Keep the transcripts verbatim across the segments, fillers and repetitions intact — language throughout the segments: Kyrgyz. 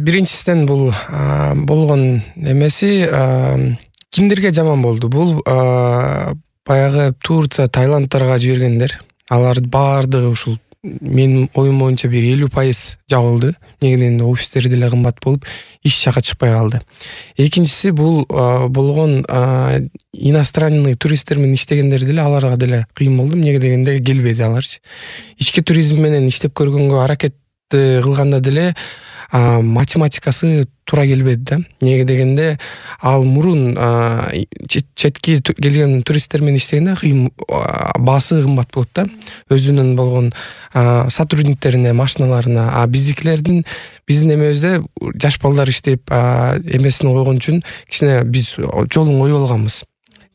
биринчисинен бул болгон эмеси кимдерге жаман болду? Бул баягы Турция, Таиландтарга жибергендер. Алардын баардыгы ушул менин оюм боюнча бир элүү пайыз жабылды. Негеден офистери деле кымбат болуп, иш жакка чыкпай калды. Экинчиси бул болгон иностранный туристтер менен иштегендер деле аларга деле кыйын болду. Эмнеге дегенде келбеди аларчы. Ички туризм менен иштеп көргөнгө аракет кылганда деле математикасы туура келбеди да. Эмнеге дегенде ал мурун четки келген туристтер менен иштегенде кыйын баасы кымбат болот да. Өзүнүн болгон сотрудниктерине, машиналарына, а биздикилердин биздин эмебизде жаш балдар иштеп эмесин койгон үчүн кичине биз жолун коюп алганбыз.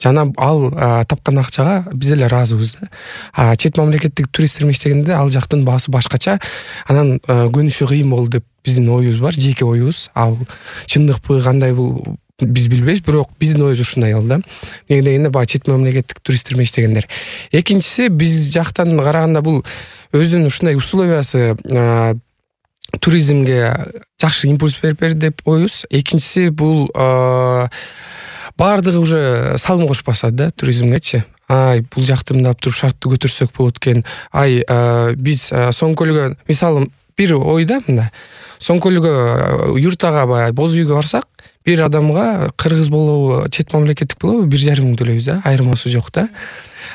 Жана ал тапкан акчага биз эле ыраазыбыз да. А чет мамлекеттик туристтер менен иштегенде ал жактын баасы башкача, анан көнүшү кыйын болду деп биздин оюбуз бар, жеке оюбуз. Ал чындыкпы, кандай бул биз билбейбиз, бирок биздин оюбуз ушундай ал да. Эмне дегенде баягы чет мамлекеттик туристтер менен иштегендер. Экинчиси, биз жактан караганда бул өзүнүн ушундай условиясы туризмге жакшы импульс берип берди деп оюбуз. Экинчиси бул баардыгы уже салым кошпаса да туризмгечи. Ай, бул жакты мындап туруп шартты көтөрсөк болот экен. Ай, биз Соң көлгө, мисалы, бир ойда мында. Соң көлгө юртага баягы боз үйгө барсак, бир адамга кыргыз болобу, чет мамлекеттик болобу бир жарым миң төлөйбүз да, айырмасы жок да.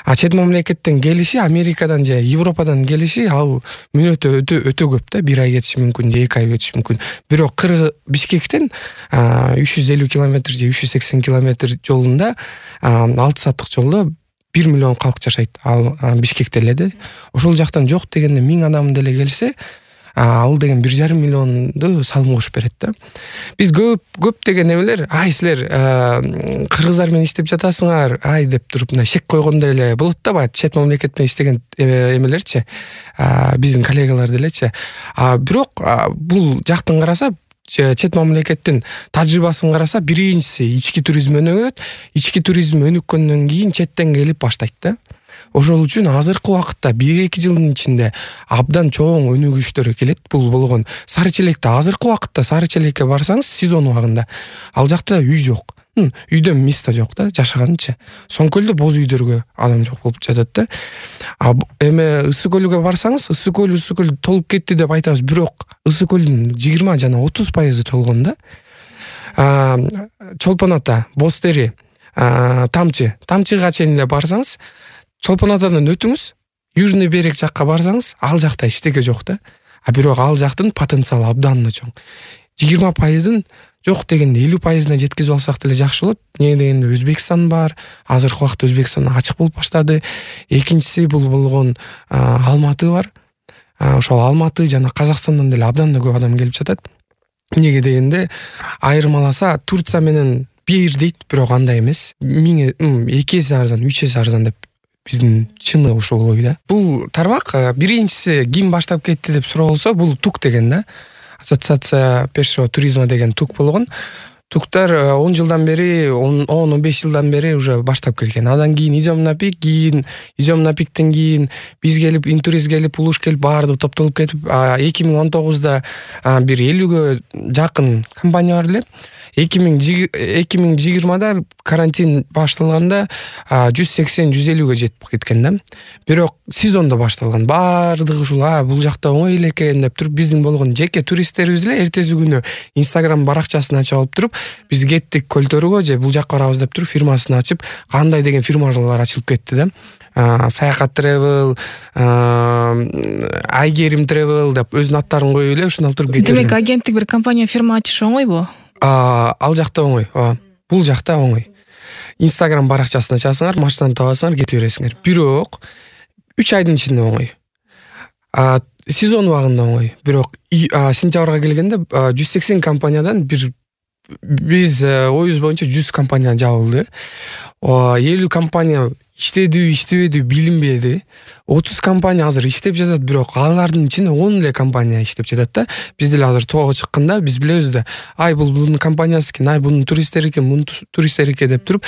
А чет мамлекеттен келиши, Америкадан же Европадан келиши ал мүнөтө өтө өтө көп да, бир ай кетиши мүмкүн, же эки ай кетиши мүмкүн. Бирок Кыргыз Бишкектен үч жүз элүү километр же үч жүз сексен километр жолунда, алты сааттык жолдо бир миллион калк жашайт. Ал Бишкекте эле да. Ошол жактан жок дегенде миң адам деле келсе, ал деген бир жарым миллионду салым кошуп берет да. Биз көп көп деген эмелер, ай силер кыргыздар менен иштеп жатасыңар, ай деп туруп мына шек койгондой эле болот да, баягы чет мамлекет менен иштеген эмелерчи, биздин коллегалар делечи. А бирок бул жактан караса, чет мамлекеттин тажрыйбасын караса, биринчиси ички туризм өнүгөт, ички туризм өнүккөндөн кийин четтен келип баштайт да. Ошол үчүн азыркы убакытта бир эки жылдын ичинде абдан чоң өнүгүштөр келет. Бул болгон Сары Челекте, азыркы убакытта Сары Челекке барсаңыз, сезон убагында ал жакта үй жок. Үйдөн место жок да, жашаганчы. Соң көлдө боз үйдөргө адам жок болуп жатат да. А эме Ысык көлгө барсаңыз, Ысык көл, Ысык көл толуп кетти деп айтабыз, бирок Ысык көлдүн жыйырма жана отуз пайызы толгон да. Чолпон ата, Боз тери, Тамчы, Тамчыга чейин эле барсаңыз, Чолпон атадан өтүңүз, Южный берег жакка барсаңыз, ал жакта эчтеке жок да. А бирок ал жактын потенциалы абдан да чоң. жыйырма пайыздын жок дегенде элүү пайызына жеткизип алсак деле жакшы болот. Эмне дегенде Өзбекстан бар, азыркы убакытта Өзбекстан ачык болуп баштады. Экинчиси бул болгон Алматы бар. Ошол Алматы жана Казакстандан деле абдан да көп адам келип жатат. Эмнеге дегенде айырмаласа Турция менен бир дейт, бирок андай эмес. Миң эки эсе арзан, үч эсе арзан деп биздин чыны ошол ой да. Бул тармак биринчиси ким баштап кетти деп суроо болсо, бул ТУК деген да. Ассоциация пешего туризма деген ТУК болгон. ТУКтар он жылдан бери, он он беш жылдан бери уже баштап келген. Андан кийин Идем на пик, кийин Идем на пиктен кийин биз келип, Интурист келип, Улуш келип, баардыгы топтолуп кетип, эки миң он тогузда бир элүүгө жакын компания бар эле. эки миң жыйырмада карантин башталганда жүз сексен жүз элүүгө жетип кеткен да. Бирок сезондо башталган. Баардыгы ушул бул жакта оңой эле экен деп туруп, биздин болгон жеке туристтерибиз эле эртеси күнү Instagram баракчасын ачып алып туруп, биз кеттик Көлтөргө же бул жакка барабыз деп туруп фирмасын ачып, кандай деген фирмалар ачылып кетти да. Саякат Travel, Айгерим Travel деп өзүнүн аттарын коюп эле ушуну алып туруп кетти. Демек агенттик бир компания фирма ачыш оңойбу? Ал жакта оңой. Бул жакта оңой. Instagram баракчасын ачасыңар, машинаны табасыңар, кете бересиңер. Бирок үч айдын ичинде оңой. Сезон убагында оңой. Бирок сентябрга келгенде жүз сексен компаниядан бир биз оюбуз боюнча жүз компания жабылды. элүү компания иштеди, иштебеди билинбеди. отуз компания азыр иштеп жатат, бирок алардын ичинде он эле компания иштеп жатат да. Биз деле азыр тоого чыкканда биз билебиз да. Ай бул бунун компаниясы экен, ай бунун туристтери экен, бунун туристтери экен деп туруп,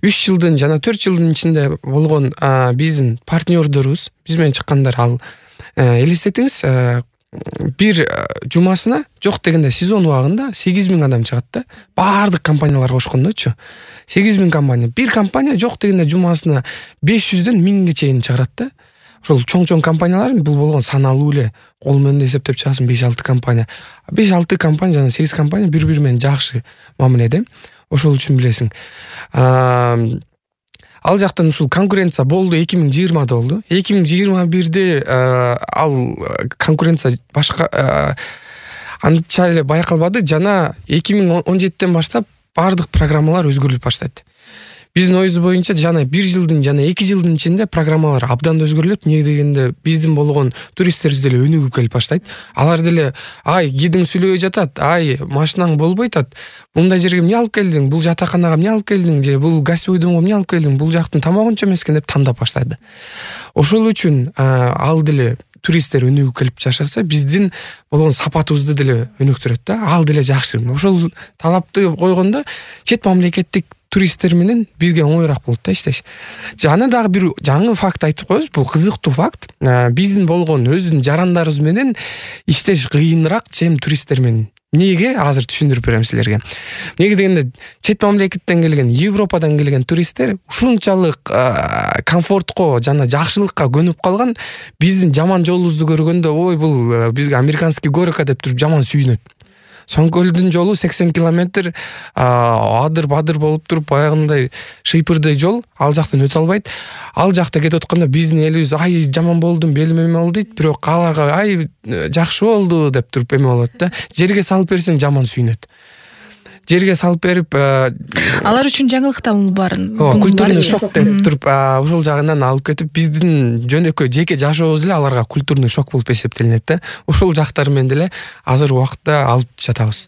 үч жылдын жана төрт жылдын ичинде болгон биздин партнёрдорубуз, биз менен чыккандар, ал элестетиңиз, бир жумасына жок дегенде сезон убагында сегиз миң адам чыгат да. Баардык компаниялар кошкондочу. сегиз миң компания. Бир компания жок дегенде жумасына беш жүздөн миңге чейин чыгарат да. Ошол чоң-чоң компаниялар бул болгон саналуу эле. Кол менен эсептеп чыгасың беш алты компания. беш алты компания жана сегиз компания бири-бири менен жакшы мамиледе. Ошол үчүн билесиң. Ал жактан ушул конкуренция болду эки миң жыйырмада болду. эки миң жыйырма бирде ал конкуренция башка анча эле байкалбады жана эки миң он жетиден баштап баардык программалар өзгөрүлүп баштайт. Биздин оюбуз боюнча жана бир жылдын жана эки жылдын ичинде программалар абдан өзгөрүлөт. Эмне дегенде биздин болгон туристтерибиз деле өнүгүп келип баштайт. Алар деле ай кидиң сүйлөбөй жатат, ай машинаң болбойт атат. Мындай жерге эмне алып келдиң? Бул жатаканага эмне алып келдиң? Же бул гостевойдомго эмне алып келдиң? Бул жактын тамагынча эмескен деп тандап баштайды. Ошол үчүн ал деле туристтер өнүгүп келип жашаса, биздин болгон сапатыбызды деле өнүктүрөт да. Ал деле жакшы. Ошол талапты койгондо чет мамлекеттик туристтер менен бизге оңоюраак болот да иштеш. Жана дагы бир жаңы факт айтып коебуз, бул кызыктуу факт. Биздин болгон өздүн жарандарыбыз менен иштеш кыйыныраак, чем туристтер менен. Неге? Азыр түшүндүрүп берем силерге. Неге дегенде чет мамлекеттен келген, Европадан келген туристтер ушунчалык комфортко жана жакшылыкка көнүп калган, биздин жаман жолубузду көргөндө, ой бул бизге американский горка деп туруп жаман сүйүнөт. Соңкөлдүн жолу сексен километр адыр-бадыр болуп туруп баягындай шыйпырдый жол, ал жактан өтө албайт. Ал жакта кетип атканда биздин элибиз ай жаман болдум, белим эме болду дейт, бирок аларга ай жакшы болду деп туруп эме болот да. Жерге салып берсең жаман сүйүнөт. Жерге салып берип алар үчүн жаңылык да бул баарын. Культурный шок деп туруп ошол жагынан алып кетип биздин жөнөкөй жеке жашообуз эле аларга культурный шок болуп эсептелинет да. Ошол жактары менен деле азыр убакытта алып жатабыз.